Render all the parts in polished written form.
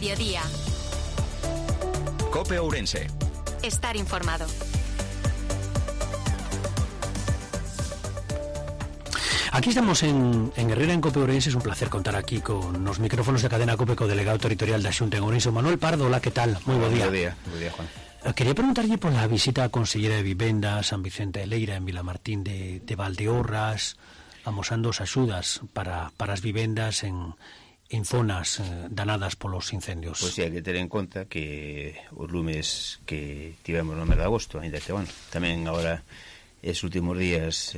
mediodía. COPE Ourense. Estar informado. Aquí estamos en Herrera, en COPE Ourense. Es un placer contar aquí con los micrófonos de Cadena COPE co delegado territorial da Xunta en Ourense, Manuel Pardo. Hola, ¿qué tal? Muy buen día. Buen día, Juan. Quería preguntarle por la visita a Consellera de Vivenda San Vicente de Leira en Vilamartín de Valdeorras, amosando as axudas para as vivendas en zonas danadas polos incendios. Pois hai que ter en conta que os lumes que tivemos no mes de agosto, ainda que, bueno, tamén agora estes últimos días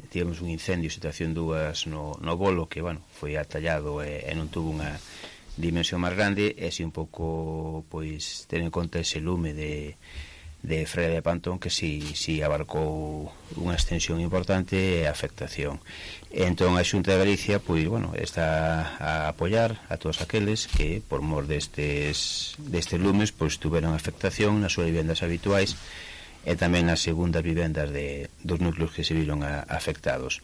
tivemos un incendio, situación 2 no Bolo, que, bueno, foi atallado e non tuvo unha dimensión máis grande, e así un pouco, pois, ter en conta ese lume de Freira de Pantón, que si abarcou unha extensión importante e afectación. Entón a Xunta de Galicia, pois, bueno, está a apoiar a todos aqueles que, por mor destes lumes, pois tuveron afectación nas súas vivendas habituais e tamén nas segundas vivendas dos núcleos que se viron afectados.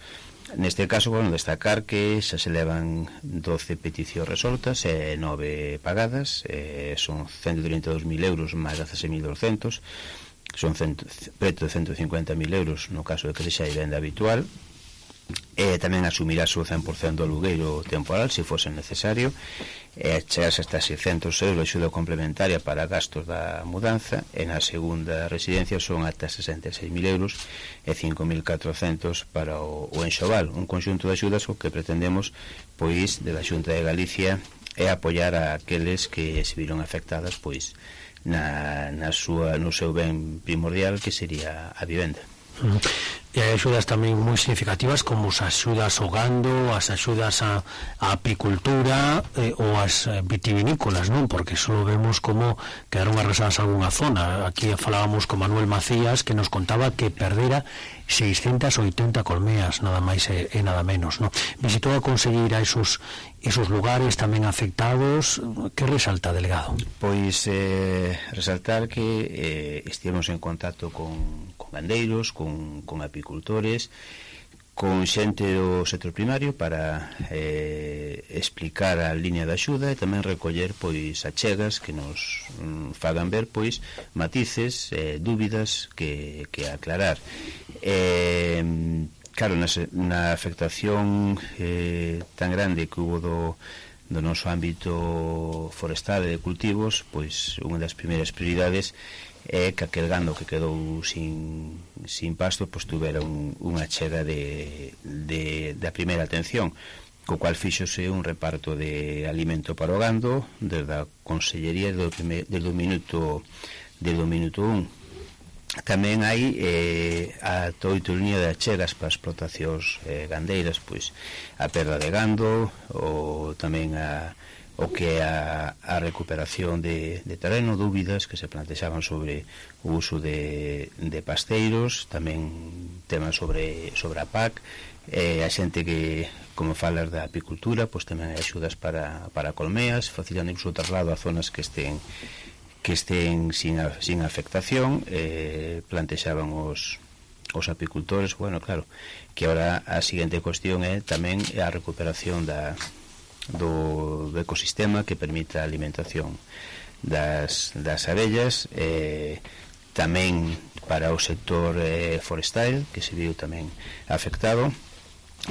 Neste caso, bueno, destacar que xa se levan 12 peticións resoltas e 9 pagadas, son 132.000 euros máis 16.200, son preto de 150.000 euros no caso de que sexa vivenda habitual, e tamén asumirá o 100% do alugueiro temporal se fose necesario, e chegarse hasta 600 euros de axuda complementaria para gastos da mudanza, e na segunda residencia son ata 66.000 euros e 5.400 para o enxoval, un conxunto de axudas o que pretendemos, pois, de la Xunta de Galicia é apoiar a aqueles que se viron afectadas, pois, no seu ben primordial, que sería a vivenda. E hai axudas tamén moi significativas, como as axudas ao gando, as axudas a apicultura ou as vitivinícolas, non? Porque só vemos como quedaron arrasadas algunha zona. Aquí falábamos con Manuel Macías, que nos contaba que perdera 680 colmeas, nada máis e nada menos, non? Visitou a conselleira esos lugares tamén afectados. Que resalta, delegado? Pois resaltar que estivemos en contacto con gandeiros, con apicultores, con xente do sector primario para explicar a liña de axuda e tamén recoller, pois, achegas que nos fagan ver, pois, matices, dúbidas que aclarar. Claro, na afectación tan grande que hubo do noso ámbito forestal e de cultivos, pois unha das primeiras prioridades é que aquel gando que quedou sin pasto, pois tuvera unha chega da primeira atención, co cual fíxose un reparto de alimento para o gando desde a Consellería desde o minuto 1. Tamén hai a 8 línea de achegas para as explotacións gandeiras, pois a perda de gando, ou tamén o que é a recuperación de terreno, dúbidas que se plantexaban sobre o uso de pasteiros, tamén temas sobre a PAC, a xente que, como falas da apicultura, pois tamén hai axudas para colmeas, facilitando incluso o traslado a zonas que estén sin afectación. Plantexaban os apicultores, bueno, claro, que ahora a seguinte cuestión é tamén a recuperación do ecosistema que permita a alimentación das abellas, tamén para o sector forestal, que se viu tamén afectado,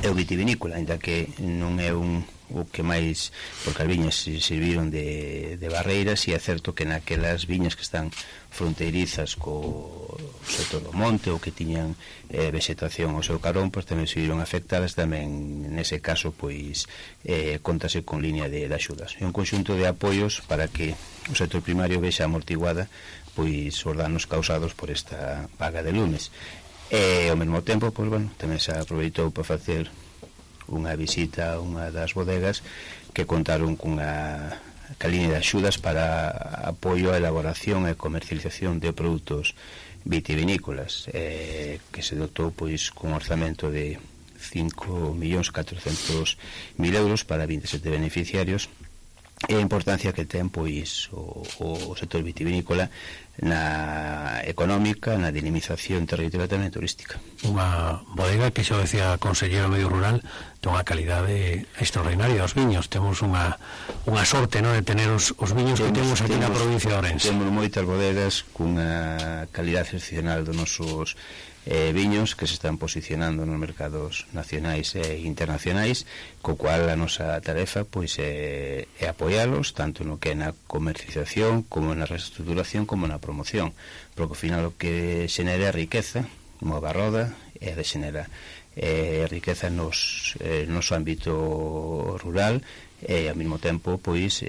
e o vitivinícola, ainda que non é o que máis, porque as viñas se serviron de barreiras, e é certo que naquelas viñas que están fronteirizas co sector do monte ou que tiñan vegetación ao seu carón, pois tamén se viron afectadas. Tamén nese caso, pois contase con línea de axudas e un conxunto de apoios para que o sector primario vexa amortiguada, pois, os danos causados por esta vaga de lumes. E ao mesmo tempo, pois, bueno, tamén se aproveitou para facer unha visita a unha das bodegas que contaron cunha línea de axudas para apoio á elaboración e comercialización de produtos vitivinícolas, que se dotou, pois, con un orzamento de 5.400.000 euros para 27 beneficiarios, e a importancia que ten, pois, o sector vitivinícola na económica, na dinamización territorial tamén turística. Unha bodega que xa decía a conselleiro do Medio Rural ten unha calidade extraordinaria os viños. Temos unha sorte, non, de tener os viños que temos aquí na provincia de Ourense. Temos moitas bodegas cunha calidade excepcional dos nosos viños que se están posicionando nos mercados nacionais e internacionais, co cual a nosa tarefa pois é apoialos tanto no que é na comercialización como na reestruturación como na promoción, porque ao final o que xenera riqueza, move a roda e de xenera riqueza nos noso ámbito rural e ao mesmo tempo pois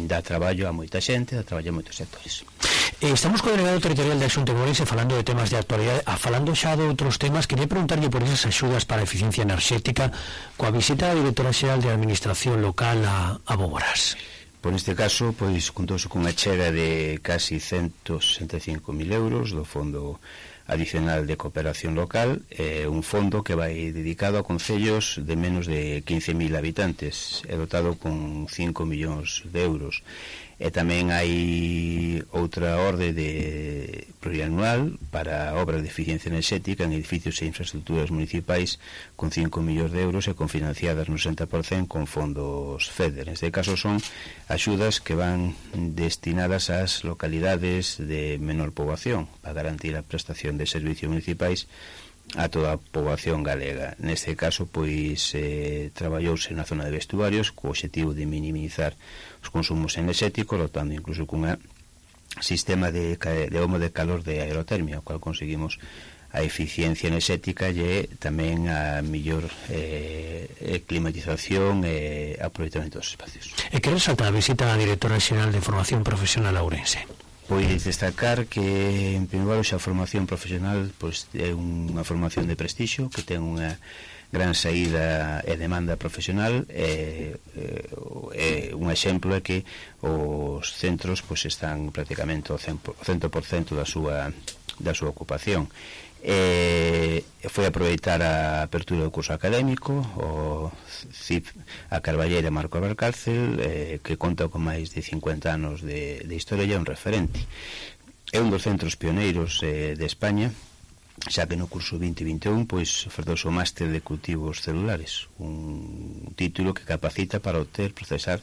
dá traballo a moita xente, dá traballo a moitos sectores. Estamos co delegado territorial da Xunta de Ourense falando de temas de actualidade, falando xa de outros temas. Quería preguntarlle por esas axudas para a eficiencia enerxética coa visita da directora xeral de Administración Local a Boborás. Por este caso, pois, contouse cunha chega de casi 165.000 euros do Fondo Adicional de Cooperación Local, un fondo que vai dedicado a concellos de menos de 15.000 habitantes, é dotado con 5 millóns de euros. E tamén hai outra orde de plurianual para obras de eficiencia enerxética en edificios e infraestructuras municipais con 5 millóns de euros e confinanciadas no 60% con fondos FEDER. Neste caso son axudas que van destinadas ás localidades de menor poboación para garantir a prestación de servicios municipais a toda a poboación galega. Neste caso, pois, traballouse na zona de vestuarios co obxectivo de minimizar os consumos enerxéticos, dotando incluso cunha sistema de homo de calor de aerotermia, o cual conseguimos a eficiencia enerxética e tamén a mellor climatización e aproveitamento dos espacios. E que resalta a visita da directora xeral de Formación Profesional a Ourense? Pois destacar que, en primeiro lugar, a formación profesional pois, é unha formación de prestixio que ten unha gran saída e demanda profesional. Un exemplo é que os centros pois, están prácticamente ao 100% da súa ocupación. Foi aproveitar a apertura do curso académico o CIP a Carballeira Marco Valcárcel, que conta con máis de 50 anos de historia e é un referente. É un dos centros pioneiros de España, xa que no curso 2021 pois ofertouse o máster de cultivos celulares, un título que capacita para obter, procesar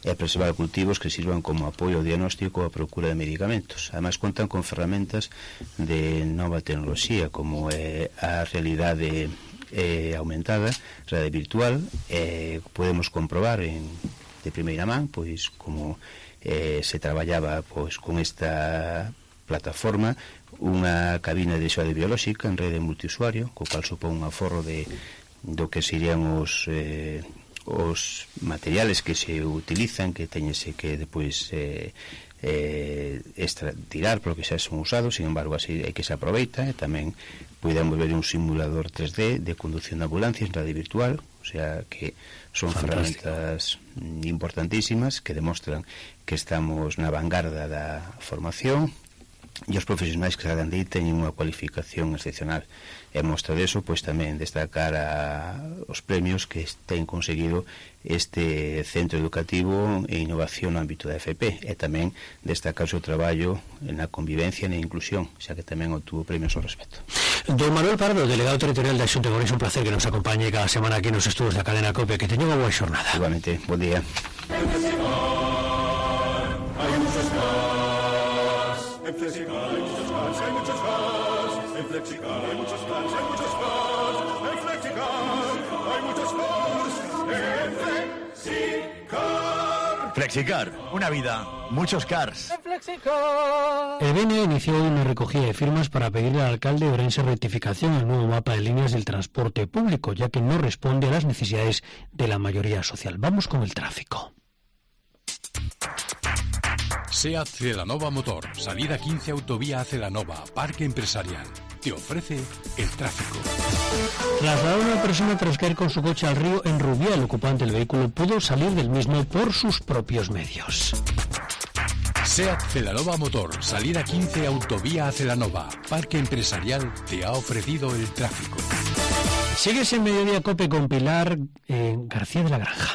e preservar cultivos que sirvan como apoio ao diagnóstico ou a procura de medicamentos. Ademais, contan con ferramentas de nova tecnoloxía, como a realidade aumentada, realidade virtual. Podemos comprobar de primeira man pois como se traballaba pois con esta plataforma unha cabina de xoade biolóxica en rede multiusuario, co cual supón un aforro do que serían os materiales que se utilizan, que teñese que depois tirar porque xa son usados. Sin embargo, así é que se aproveita. E tamén podemos ver un simulador 3D de conducción de ambulancias en rede virtual, o sea que son ferramentas importantísimas que demostran que estamos na vanguarda da formación e os profesionais que sagan de aí teñen unha cualificación excepcional. E mostra deso, pois tamén destacar os premios que ten conseguido este centro educativo e innovación no ámbito da FP, e tamén destacar o seu traballo na convivencia e na inclusión, xa que tamén obtuvo premios ao respecto. Don Manuel Pardo, delegado territorial da Xunta de Ourense, un placer que nos acompañe cada semana aquí nos estudos da cadena COPE. Que teña unha boa xornada. Igualmente, bon día. En Flexicar hay muchos cars, hay muchos cars. En Flexicar hay muchos cars, hay muchos cars. En Flexicar hay muchos cars. En Flexicar. Flexicar, una vida, muchos cars. En Flexicar. El BNE inició una recogida de firmas para pedirle al alcalde de Ourense rectificación al nuevo mapa de líneas del transporte público, ya que no responde a las necesidades de la mayoría social. Vamos con el tráfico. SEAT Celanova Motor, salida 15 autovía a Celanova, parque empresarial. Te ofrece el tráfico. Trasladar a una persona tras caer con su coche al río en Rubiá, el ocupante del vehículo pudo salir del mismo por sus propios medios. SEAT Celanova Motor, salida 15 autovía a Celanova, parque empresarial te ha ofrecido el tráfico. Sigues en Mediodía Cope con Pilar García de la Granja.